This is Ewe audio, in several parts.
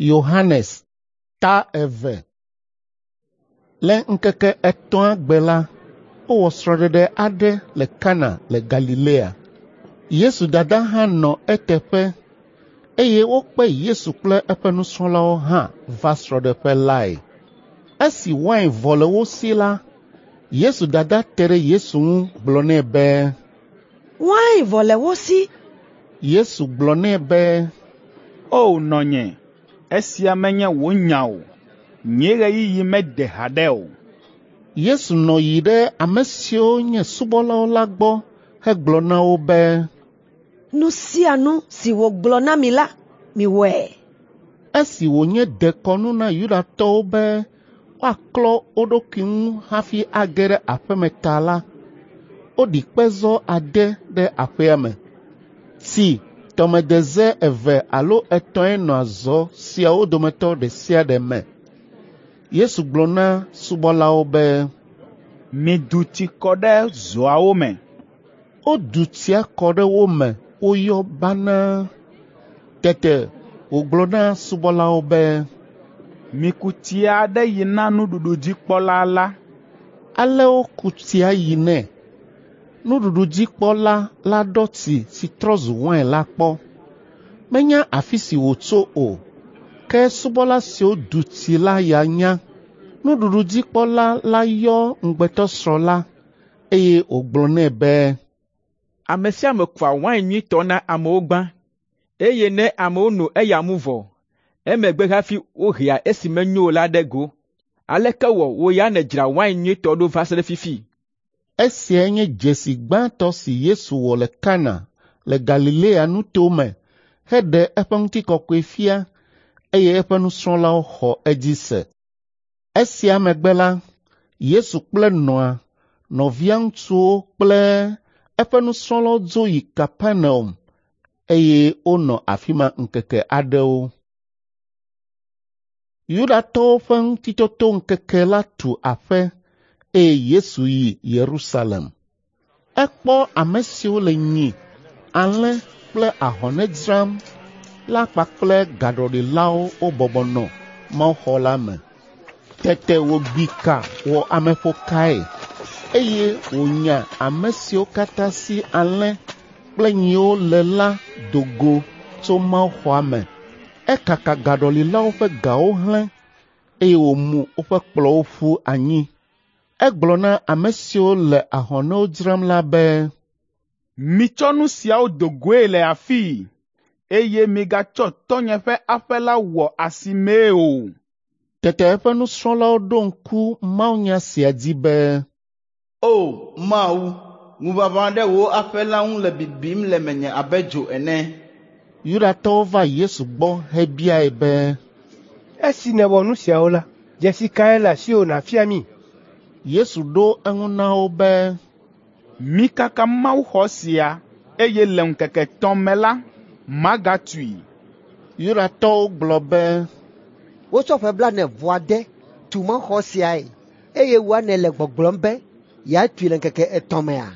Yohanes ta 2. Le ŋkeke etɔ̃a gbe la, wowɔ srɔ̃ɖeɖe aɖe le Kana le Galilea. Yesu dada hã nɔ eteƒe eye wokpe Yesu kple eƒe nusrɔ̃lawo hã va srɔ̃ɖeƒe lae. Esi wain vɔ le wo si la, Yesu dada te ɖe Yesu ŋu gblɔ nɛ be, “Wain vɔ le wo si.” Yesu gblɔ nɛ be, “O nɔnye, esia menye wò nya o. Nye ɣeyiɣi mede haɖe o.” Yesu nɔ yi ɖe ame siwo nye subɔlawo la gbɔ hegblɔ na wo be, “Nu sia nu si wògblɔ na mi la, miwɔe.” Esi wònye dekɔnu na Yudatɔwo be woaklɔ wo ɖokui ŋu hafi age ɖe aƒe me ta la, woɖi kpezɔ ade ɖe aƒea me. Tsi tɔmedeze eve alo etɔ̃e nɔa zɔ siawo dometɔ ɖe sia ɖe me. Yesu gblɔ na subɔlawo be, “Midu tsi kɔ ɖe zɔawo me.” Wodu tsia kɔ ɖe wo me woyɔ banaa. Tete wògblɔ na subɔlawo be, “Miku tsia ɖe yi na nuɖuɖudzikpɔla la.” Ale woku tsia yi nɛ. Nuɖuɖudzikpɔla la ɖɔ tsi si trɔ zu wain la kpɔ. Menya afi si wòtso o, ke subɔla siwo du tsi la ya nya. Nuɖuɖudzikpɔla la yɔ ŋugbetɔsrɔ̃ la, eye wògblɔ nɛ be, “Ame sia ame kua wain nyuitɔ na amewo gbã, eye ne amewo no eya mu vɔ, emegbe hafi wohea esi menyo o la ɖe go. Aleke wɔ wò ya nèdzra wain nyuitɔ ɖo va se ɖe fifi?” Esiae nye dzesi gbãtɔ si Yesu wɔ le Kana le Galilea nutome heɖe eƒe ŋutikɔkɔe fia, eye eƒe nusrɔ̃lawo xɔ edzi se. Esia megbe la, Yesu kple nɔa, nɔvia ŋutsuwo kple eƒe nusrɔ̃lawo dzo yi Kapernaum eye wonɔ afi ma ŋkeke aɖewo. Yudatɔwo ƒe Ŋutitotoŋkeke la tu aƒe eye Yesu yi Yerusalem. Ekpɔ ame siwo le nyi, alẽ kple ahɔne dzram la kpakple gaɖɔlilawo wobɔbɔ nɔ mawuxɔ la me. Tete wògbi ka wɔ ameƒokae, eye wònya ame siwo katã si alẽ kple nyiwo le la do go tso mawuxɔa me. Ekaka gaɖɔlilawo ƒe gawo hlẽ, eye wòmu woƒe kplɔ̃wo ƒu anyi. Egblɔ na ame siwo le ahɔnewo dzram la be, “Mitsɔ nu siawo do goe le afii, eye migatsɔ tɔ́nye ƒe aƒe la wɔ asimee o.” Tete eƒe nusrɔ̃lawo ɖo ŋku mawunya sia dzi be, “O Mawu, ŋuʋaʋã ɖe wò aƒe la ŋu le bibim le menye abe dzo ene.” Yudatɔwo va Yesu gbɔ hebiae be, “Esi nèwɔ nu siawo la, dzesi kae le asiwò nàfia mí?” Yesu ɖo eŋu na wo be, “Mikaka mawuxɔ sia, eye le ŋkeke etɔ̃ me la, magatui.” Yudatɔwo gblɔ be, “Wotsɔ ƒe 49 tu mawuxɔ siae, eye wòa nèle gbɔgblɔm be yeatui le ŋkeke etɔ̃ mea?”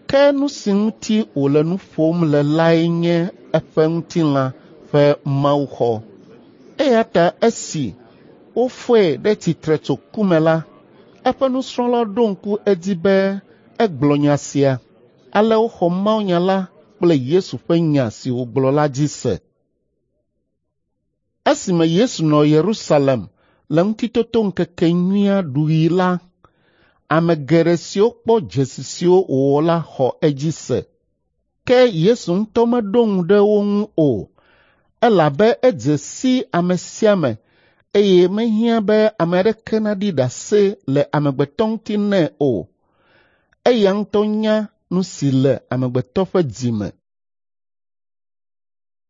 Ke nu si ŋuti wòle nu ƒom le lae nye eƒe ŋutilã ƒe mawuxɔ. Eya ta esi wofɔe ɖe tsitre tso ku me la, eƒe nusrɔ̃lawo ɖo ŋku edzi be egblɔ nya sia. Ale woxɔ mawunya la kple Yesu ƒe nya si wògblɔ la dzi se. Esime Yesu nɔ Yerusalem le Ŋutitotoŋkekenyuia ɖuɣi la, ame geɖe siwo kpɔ dzesi siwo wòwɔ la xɔ edzi se. Ke Yesu ŋutɔ meɖo ŋu ɖe wo ŋu o, elabe edze si ame sia ame eye mehiã be ame aɖeke naɖi ɖase le amegbetɔ ŋuti nɛ o. Eya ŋutɔ nya nu si le amegbetɔ ƒe dzi me.